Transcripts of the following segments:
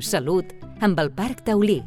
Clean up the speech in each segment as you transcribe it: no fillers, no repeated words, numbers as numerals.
Salut amb el Parc Taulí.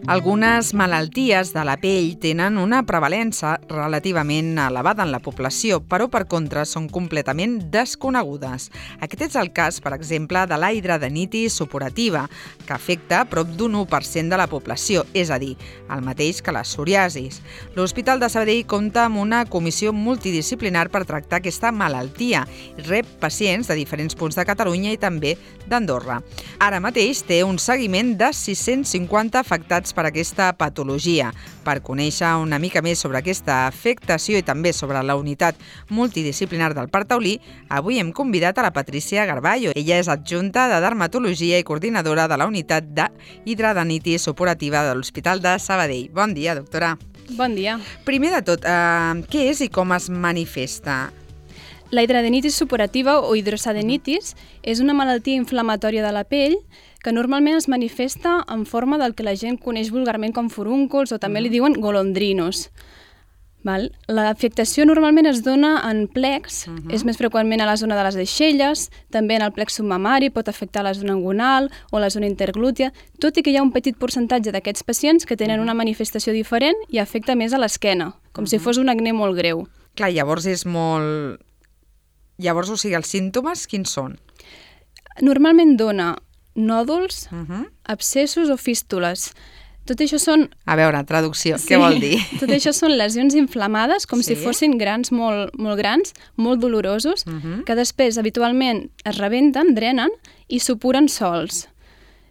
Algunes malalties de la pell tenen una prevalença relativament elevada en la població, però per contra són completament desconegudes. Aquest és el cas, per exemple, de la hidradenitis supurativa, que afecta prop d'un 1% de la població, és a dir, el mateix que la psoriasis. L'Hospital de Sabadell compta amb una comissió multidisciplinar per tractar aquesta malaltia i rep pacients de diferents punts de Catalunya i també d'Andorra. Ara mateix té un seguiment de 650 afectats per aquesta patologia. Per conèixer una mica més sobre aquesta afectació i també sobre la unitat multidisciplinar del Parc Taulí, avui hem convidat a la Patrícia Garballo. Ella és adjunta de dermatologia i coordinadora de la unitat d'hidradenitis supurativa de l'Hospital de Sabadell. Bon dia, doctora. Bon dia. Primer de tot, què és i com es manifesta? La hidradenitis supurativa o hidrosadenitis és una malaltia inflamatòria de la pell que normalment es manifesta en forma del que la gent coneix vulgarment com furúnculs o també li diuen golondrinos. L'afectació normalment es dona en plecs, és més freqüentment a la zona de les aixelles, també en el plec submamari, pot afectar la zona inguinal o la zona interglútia, tot i que hi ha un petit percentatge d'aquests pacients que tenen una manifestació diferent i afecta més a l'esquena, com si fos un acné molt greu. Clar, llavors és molt... Llavors, o sigui, els símptomes, quins són? Normalment dona nòduls, abscessos o fístules. Tot això són... A veure, traducció, què vol dir? Tot això són lesions inflamades, com si fossin grans molt grans, molt dolorosos, que després habitualment es rebenten, drenen i supuren sols.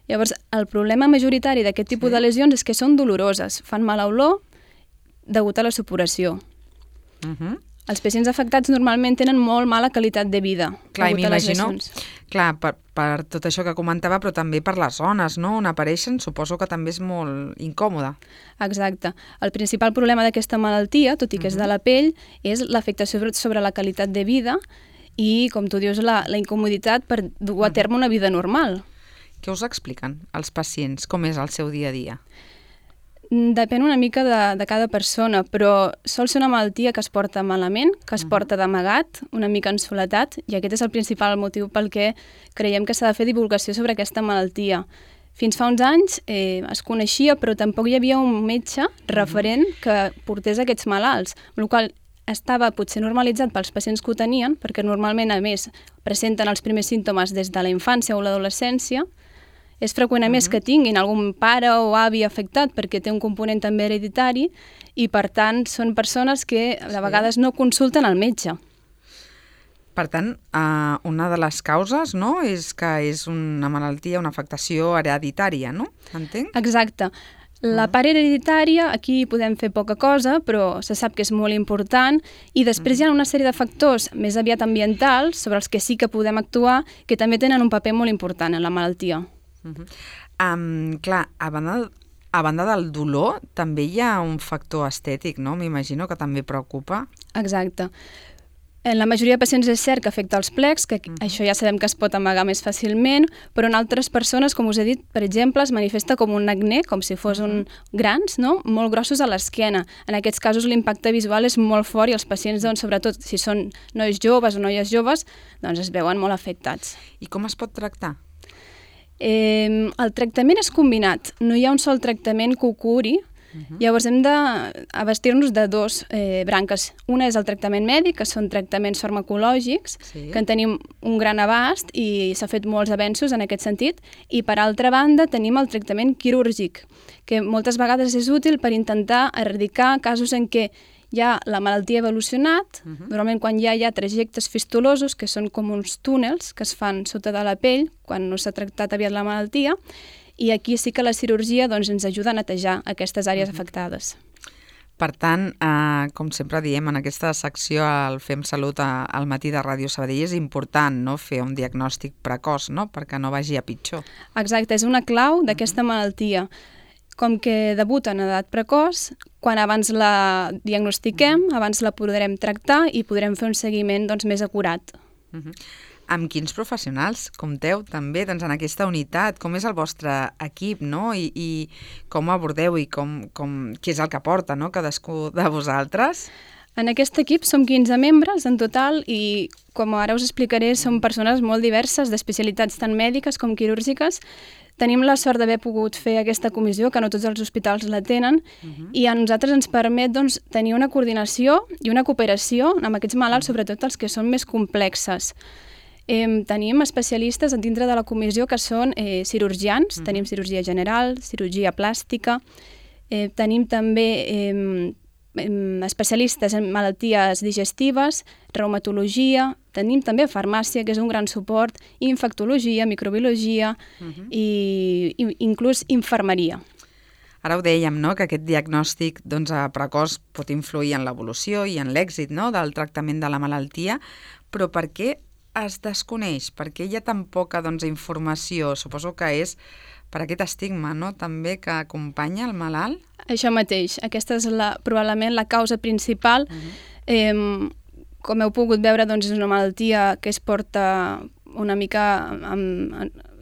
Llavors, el problema majoritari d'aquest tipus de lesions és que són doloroses, fan mala olor degut a la supuració. Els pacients afectats normalment tenen molt mala qualitat de vida. Clar, i m'imagino, clar, per tot això que comentava, però també per les zones, no?, on apareixen, suposo que també és molt incòmode. Exacte. El principal problema d'aquesta malaltia, tot i que és de la pell, és l'afectació sobre la qualitat de vida i, com tu dius, la incomoditat per dur a terme una vida normal. Què us expliquen els pacients? Com és el seu dia a dia? Depèn una mica de cada persona, però sol ser una malaltia que es porta malament, que es porta d'amagat, una mica en soledat, i aquest és el principal motiu pel que creiem que s'ha de fer divulgació sobre aquesta malaltia. Fins fa uns anys es coneixia, però tampoc hi havia un metge referent que portés aquests malalts, amb la qual estava potser normalitzat pels pacients que ho tenien, perquè normalment, a més, presenten els primers símptomes des de la infància o l'adolescència. És freqüent, a més, que tinguin algun pare o avi afectat perquè té un component també hereditari i, per tant, són persones que de vegades no consulten el metge. Per tant, una de les causes, no?, és que és una malaltia, una afectació hereditària, no? Entenc? Exacte. La part hereditària, aquí podem fer poca cosa, però se sap que és molt important, i després hi ha una sèrie de factors més aviat ambientals sobre els que sí que podem actuar, que també tenen un paper molt important en la malaltia. Clar, a banda del dolor, també hi ha un factor estètic, no? M'imagino que també preocupa. Exacte. En la majoria de pacients és cert que afecta els plecs, que això ja sabem que es pot amagar més fàcilment, però en altres persones, com us he dit, per exemple, es manifesta com un acné, com si fos grans, no?, molt grossos a l'esquena. En aquests casos l'impacte visual és molt fort i els pacients, doncs, sobretot si són nois joves o noies joves, doncs es veuen molt afectats. I com es pot tractar? El tractament és combinat, no hi ha un sol tractament que ho curi. Llavors hem d'abastir-nos de dos branques. Una és el tractament mèdic, que són tractaments farmacològics, que en tenim un gran abast i s'ha fet molts avenços en aquest sentit, i per altra banda tenim el tractament quirúrgic, que moltes vegades és útil per intentar erradicar casos en què ja la malaltia ha evolucionat, normalment quan ja hi ha trajectes fistulosos, que són com uns túnels que es fan sota de la pell quan no s'ha tractat aviat la malaltia, i aquí sí que la cirurgia doncs, ens ajuda a netejar aquestes àrees afectades. Per tant, com sempre diem, en aquesta secció al Fem Salut al matí de Ràdio Sabadell és important, no?, fer un diagnòstic precoç, no?, perquè no vagi a pitjor. Exacte, és una clau d'aquesta malaltia. Com que debuta en edat precoç, quan abans la diagnostiquem, abans la podrem tractar i podrem fer un seguiment doncs, més acurat. Amb quins professionals compteu també doncs, en aquesta unitat? Com és el vostre equip, no? I com abordeu i què és el que porta, no?, cadascú de vosaltres? En aquest equip som 15 membres en total i, com ara us explicaré, som persones molt diverses, d'especialitats tant mèdiques com quirúrgiques. Tenim la sort d'haver pogut fer aquesta comissió, que no tots els hospitals la tenen, i a nosaltres ens permet doncs, tenir una coordinació i una cooperació amb aquests malalts, sobretot els que són més complexes. Tenim especialistes dintre de la comissió que són cirurgians, tenim cirurgia general, cirurgia plàstica, tenim també especialistes en malalties digestives, reumatologia, tenim també farmàcia, que és un gran suport, infectologia, microbiologia i inclús infermeria. Ara ho dèiem, no?, que aquest diagnòstic precoç pot influir en l'evolució i en l'èxit, no?, del tractament de la malaltia, però per què es desconeix? Per què hi ha tan poca informació? Suposo que és per aquest estigma, no?, també que acompanya el malalt? Això mateix. Aquesta és probablement la causa principal. Com heu pogut veure, doncs, és una malaltia que es porta una mica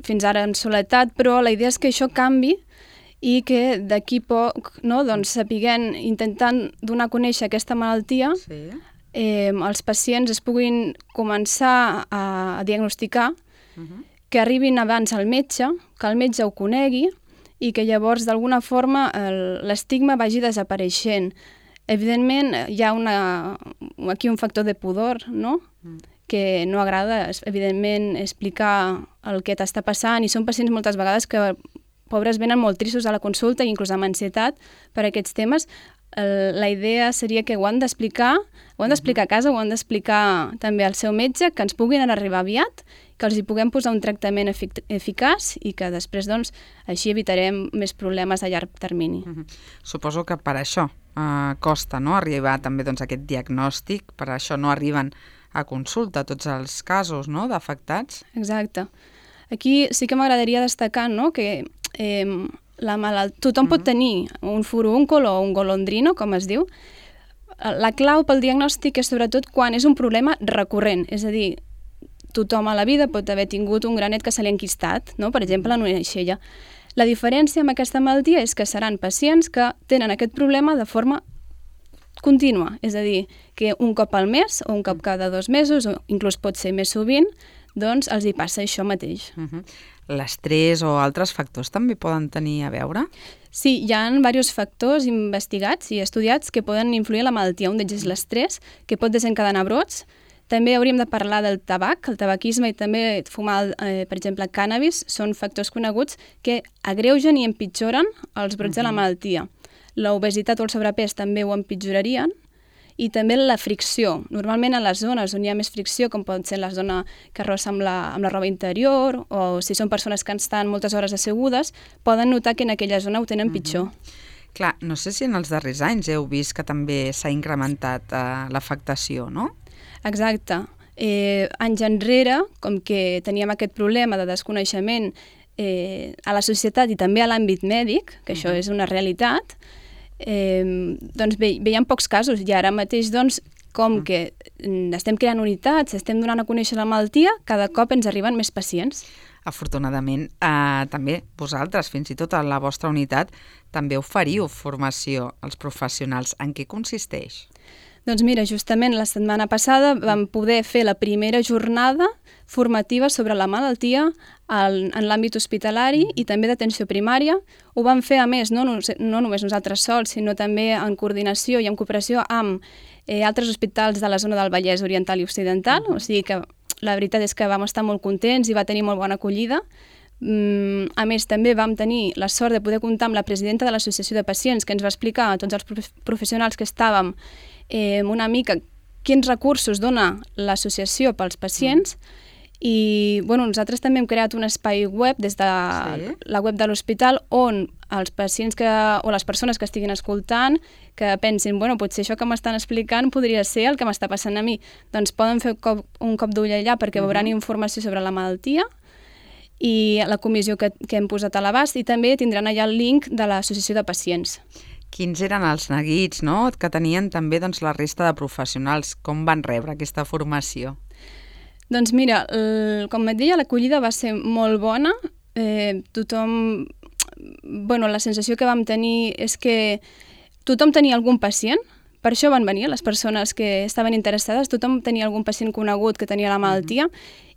fins ara en soledat, però la idea és que això canvi i que d'aquí poc, no, doncs, sapiguem, intentant donar a conèixer aquesta malaltia, els pacients es puguin començar a diagnosticar, que arribin abans al metge, que el metge ho conegui i que llavors d'alguna forma l'estigma vagi desapareixent. Evidentment hi ha aquí un factor de pudor, no?, que no agrada, evidentment, explicar el que t'està passant, i són pacients moltes vegades que, pobres, venen molt tristos a la consulta i inclús amb ansietat per aquests temes. La idea seria que ho han d'explicar a casa, ho han d'explicar també al seu metge, que ens puguin arribar aviat, que els hi puguem posar un tractament eficaç i que després, doncs, així evitarem més problemes a llarg termini. Suposo que per això costa, no?, arribar també a aquest diagnòstic, per això no arriben a consulta tots els casos, no?, d'afectats. Exacte. Aquí sí que m'agradaria destacar, no?, que tothom pot tenir un furúncol o un golondrino, com es diu. La clau pel diagnòstic és sobretot quan és un problema recurrent, és a dir, tothom a la vida pot haver tingut un granet que se li ha enquistat, no?, per exemple, en una aixella. La diferència amb aquesta malaltia és que seran pacients que tenen aquest problema de forma contínua, és a dir, que un cop al mes o un cop cada 2 mesos, o inclús pot ser més sovint, doncs els hi passa això mateix. L'estrès o altres factors també poden tenir a veure? Sí, hi ha diversos factors investigats i estudiats que poden influir en la malaltia. Un d'ells és l'estrès, que pot desencadenar brots. També hauríem de parlar del tabac, el tabaquisme i també fumar, per exemple, cànnabis, són factors coneguts que agreugen i empitjoren els brots de la malaltia. L'obesitat o el sobrepès també ho empitjorarien, i també la fricció. Normalment a les zones on hi ha més fricció, com pot ser la zona que rossa amb la roba interior, o si són persones que estan moltes hores assegudes, poden notar que en aquella zona ho tenen pitjor. Clar, no sé si en els darrers anys heu vist que també s'ha incrementat l'afectació, no? Exacte. Anys enrere, com que teníem aquest problema de desconeixement a la societat i també a l'àmbit mèdic, que això és una realitat, doncs veiem pocs casos, i ara mateix, doncs, com que estem creant unitats, estem donant a conèixer la malaltia, cada cop ens arriben més pacients. Afortunadament, també vosaltres, fins i tot a la vostra unitat, també oferiu formació als professionals. En què consisteix? Doncs mira, justament la setmana passada vam poder fer la primera jornada formativa sobre la malaltia en l'àmbit hospitalari i també d'atenció primària. Ho vam fer, a més, no només nosaltres sols, sinó també en coordinació i en cooperació amb altres hospitals de la zona del Vallès Oriental i Occidental, o sigui que la veritat és que vam estar molt contents i va tenir molt bona acollida. A més, també vam tenir la sort de poder comptar amb la presidenta de l'Associació de Pacients, que ens va explicar a tots els professionals que estàvem una mica quins recursos dona l'associació pels pacients. I nosaltres també hem creat un espai web des de la web de l'hospital on els pacients o les persones que estiguin escoltant que pensin, potser això que m'estan explicant podria ser el que m'està passant a mi. Doncs poden fer un cop d'ull allà perquè veuran informació sobre la malaltia i la comissió que hem posat a l'abast, i també tindran allà el link de l'Associació de Pacients. Quins eren els neguits, no?, que tenien també la resta de professionals? Com van rebre aquesta formació? Doncs mira, com et deia, l'acollida va ser molt bona. Tothom... la sensació que vam tenir és que tothom tenia algun pacient, Per això van venir les persones que estaven interessades, tothom tenia algun pacient conegut que tenia la malaltia,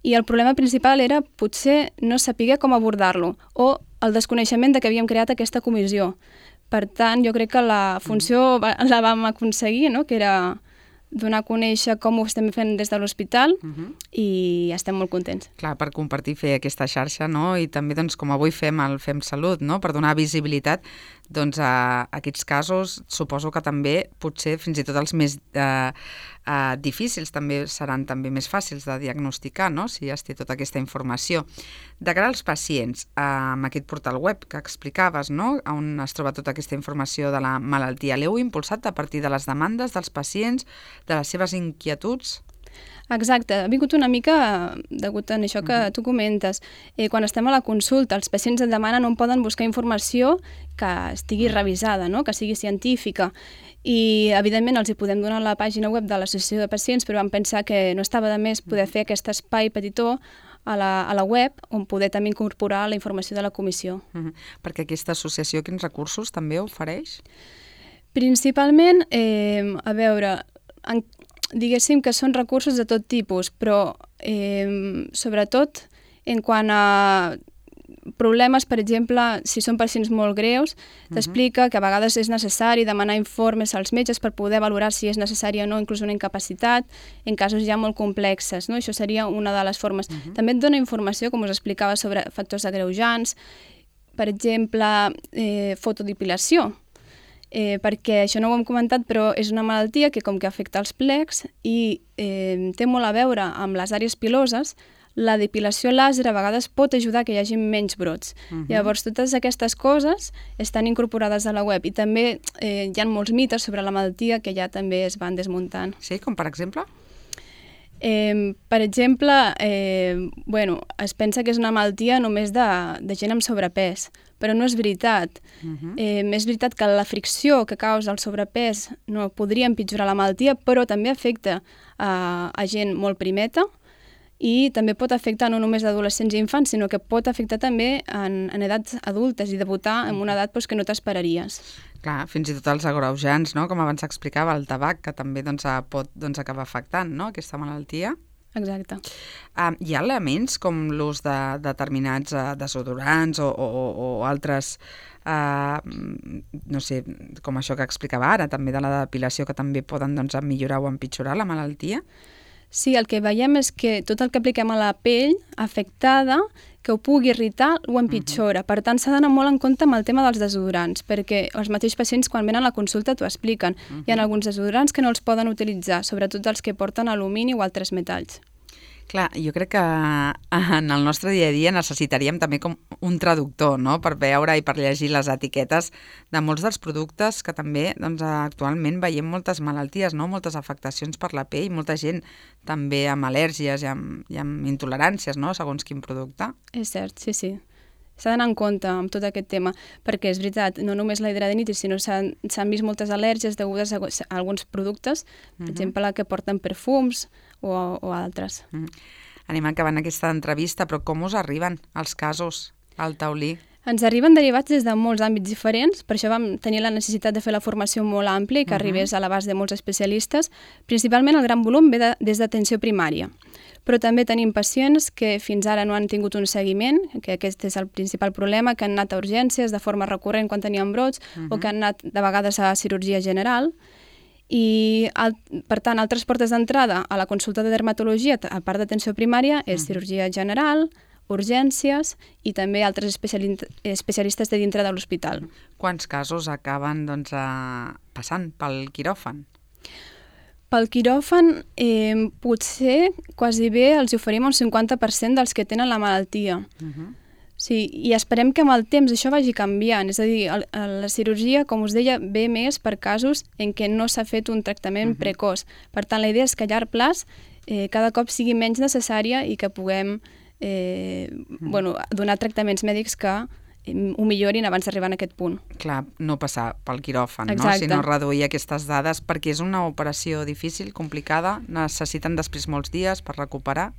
i el problema principal era potser no saber com abordar-lo, o el desconeixement de que havíem creat aquesta comissió. Per tant, jo crec que la funció la vam aconseguir, no? Que era donar a conèixer com ho estem fent des de l'hospital i estem molt contents. Clar, per compartir, fer aquesta xarxa, no? I també, doncs, com avui fem el Fem Salut, no? Per donar visibilitat doncs, a aquests casos, suposo que també potser fins i tot els més difícils també seran també més fàcils de diagnosticar, no? Si ja es té tota aquesta informació. De cara als pacients, amb aquest portal web que explicaves, no? On es troba tota aquesta informació de la malaltia, l'heu impulsat a partir de les demandes dels pacients, de les seves inquietuds? Exacte, ha vingut una mica degut a això que tu comentes. Quan estem a la consulta, els pacients et demanen on poden buscar informació que estigui revisada, no? Que sigui científica. I, evidentment, els hi podem donar la pàgina web de l'Associació de Pacients, però vam pensar que no estava de més poder fer aquest espai petitó a la web on poder també incorporar la informació de la comissió. Perquè aquesta associació quins recursos també ofereix? Principalment, a veure, diguéssim que són recursos de tot tipus, però sobretot en quant a problemes, per exemple, si són pacients molt greus, t'explica que a vegades és necessari demanar informes als metges per poder valorar si és necessària o no inclús una incapacitat en casos ja molt complexes, no? Això seria una de les formes. També et dona informació, com us explicava, sobre factors agreujants, per exemple, fotodipilació, perquè això no ho hem comentat, però és una malaltia que com que afecta els plecs i té molt a veure amb les àrees piloses, la depilació làser a vegades pot ajudar que hi hagi menys brots. Llavors, totes aquestes coses estan incorporades a la web i també hi ha molts mites sobre la malaltia que ja també es van desmuntant. Sí, com per exemple? Per exemple, es pensa que és una malaltia només de gent amb sobrepès, però no és veritat. És veritat que la fricció que causa el sobrepès no podria empitjorar la malaltia, però també afecta a gent molt primeta i també pot afectar no només adolescents i infants, sinó que pot afectar també en edats adultes i debutar en una edat que no t'esperaries. Clar, fins i tot els agreujants, no? Com abans explicava, el tabac, que també pot acabar afectant, no? Aquesta malaltia. Exacte. Hi ha elements com l'ús de determinats desodorants o altres, no sé, com això que explicava ara, també de la depilació, que també poden millorar o empitjorar la malaltia? Sí, el que veiem és que tot el que apliquem a la pell afectada, que ho pugui irritar, ho empitjora. Per tant, s'ha d'anar molt en compte amb el tema dels desodorants, perquè els mateixos pacients, quan venen a la consulta, t'ho expliquen. Hi ha alguns desodorants que no els poden utilitzar, sobretot els que porten alumini o altres metalls. Clar, jo crec que en el nostre dia a dia necessitaríem també com un traductor, no?, per veure i per llegir les etiquetes de molts dels productes que també actualment veiem moltes malalties, no?, moltes afectacions per la pell, molta gent també amb al·lèrgies i amb intoleràncies, no?, segons quin producte. És cert, sí. S'ha d'anar en compte amb tot aquest tema, perquè és veritat, no només la hidradenitis, sinó s'han vist moltes al·lèrgies degudes a alguns productes, per exemple, la que porten perfums o altres. Anem acabant aquesta entrevista, però com us arriben els casos al taulí? Ens arriben derivats des de molts àmbits diferents, per això vam tenir la necessitat de fer la formació molt àmplia i que arribés a l'abast de molts especialistes. Principalment el gran volum ve des d'atenció primària, però també tenim pacients que fins ara no han tingut un seguiment, que aquest és el principal problema, que han anat a urgències de forma recurrent quan tenien brots o que han anat de vegades a cirurgia general. I, per tant, altres portes d'entrada a la consulta de dermatologia, a part d'atenció primària, és cirurgia general, urgències i també altres especialistes de dintre de l'hospital. Quants casos acaben passant pel quiròfan? Pel quiròfan potser quasi bé els oferim un 50% dels que tenen la malaltia. Sí, i esperem que amb el temps això vagi canviant. És a dir, la cirurgia, com us deia, ve més per casos en què no s'ha fet un tractament precoç. Per tant, la idea és que a llarg plaç cada cop sigui menys necessària i que puguem donar tractaments mèdics que ho millorin abans d'arribar a aquest punt. Clar, no passar pel quiròfan, no? Sinó reduir aquestes dades, perquè és una operació difícil, complicada, necessiten després molts dies per recuperar.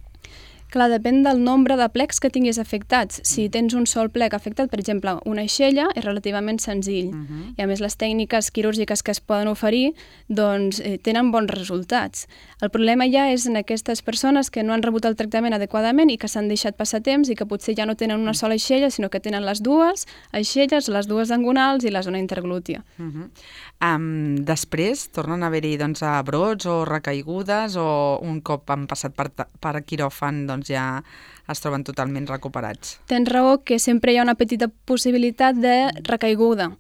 Clar, depèn del nombre de plecs que tinguis afectats. Si tens un sol plec afectat, per exemple, una aixella, és relativament senzill. I a més, les tècniques quirúrgiques que es poden oferir doncs, tenen bons resultats. El problema ja és en aquestes persones que no han rebut el tractament adequadament i que s'han deixat passar temps i que potser ja no tenen una sola aixella, sinó que tenen les dues aixelles, les dues angonals i la zona interglútia. Després tornen a haver-hi doncs, brots o recaigudes o un cop han passat per quiròfan doncs, ja es troben totalment recuperats? Tens raó que sempre hi ha una petita possibilitat de recaiguda.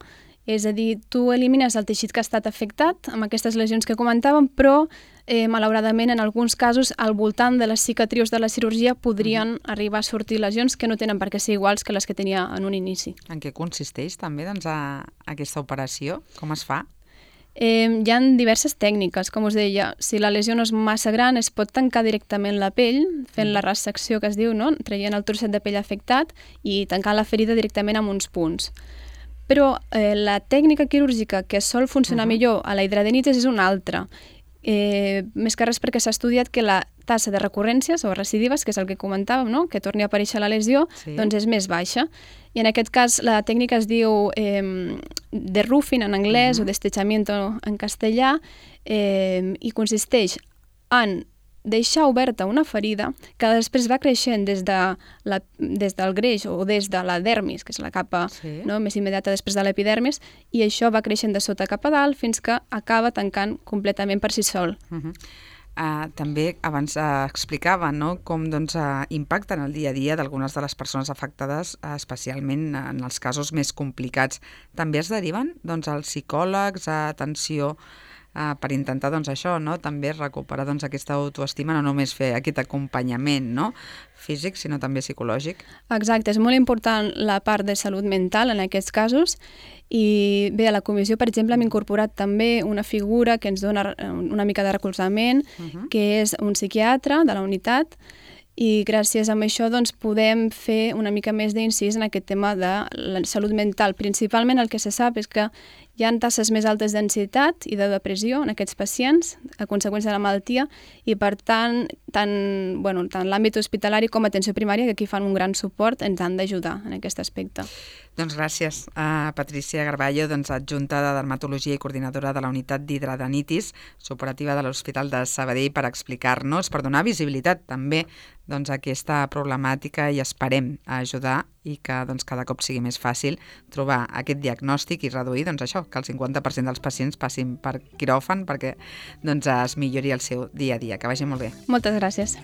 És a dir, tu elimines el teixit que ha estat afectat amb aquestes lesions que comentàvem, però malauradament en alguns casos al voltant de les cicatrius de la cirurgia podrien arribar a sortir lesions que no tenen per què ser iguals que les que tenia en un inici. En què consisteix també doncs, aquesta operació? Com es fa? Hi ha diverses tècniques, com us deia. Si la lesió no és massa gran, es pot tancar directament la pell, fent la ressecció que es diu, no? Traient el trosset de pell afectat i tancant la ferida directament amb uns punts. Però la tècnica quirúrgica que sol funcionar millor a la hidradenitis és una altra. Més que res perquè s'ha estudiat que la tassa de recurrències o recidives, que és el que comentàvem, no? Que torni a aparèixer la lesió, doncs és més baixa. I en aquest cas la tècnica es diu deroofing en anglès o destechamiento en castellà i consisteix en deixar oberta una ferida que després va creixent des del greix o des de la dermis, que és la capa més immediata després de l'epidermis, i això va creixent de sota cap a dalt fins que acaba tancant completament per si sol. També abans explicava com impacten el dia a dia d'algunes de les persones afectades, especialment en els casos més complicats. També es deriven als psicòlegs, a atenció per intentar això, també recuperar aquesta autoestima, no només fer aquest acompanyament físic, sinó també psicològic. Exacte, és molt important la part de salut mental en aquests casos. I bé, a la comissió, per exemple, hem incorporat també una figura que ens dona una mica de recolzament, que és un psiquiatre de la unitat, i gràcies a això doncs, podem fer una mica més d'incís en aquest tema de la salut mental. Principalment el que se sap és que hi ha tasses més altes d'ansietat i de depressió en aquests pacients a conseqüència de la malaltia i, per tant, tant l'àmbit hospitalari com atenció primària, que aquí fan un gran suport, ens han d'ajudar en aquest aspecte. Doncs gràcies a Patricia Garballo, adjunta de Dermatologia i coordinadora de la unitat d'hidradenitis superativa de l'Hospital de Sabadell, per explicar-nos, per donar visibilitat també a aquesta problemàtica i esperem ajudar i que cada cop sigui més fàcil trobar aquest diagnòstic i reduir això, que el 50% dels pacients passin per quiròfan perquè es millori el seu dia a dia. Que vagi molt bé. Moltes gràcies.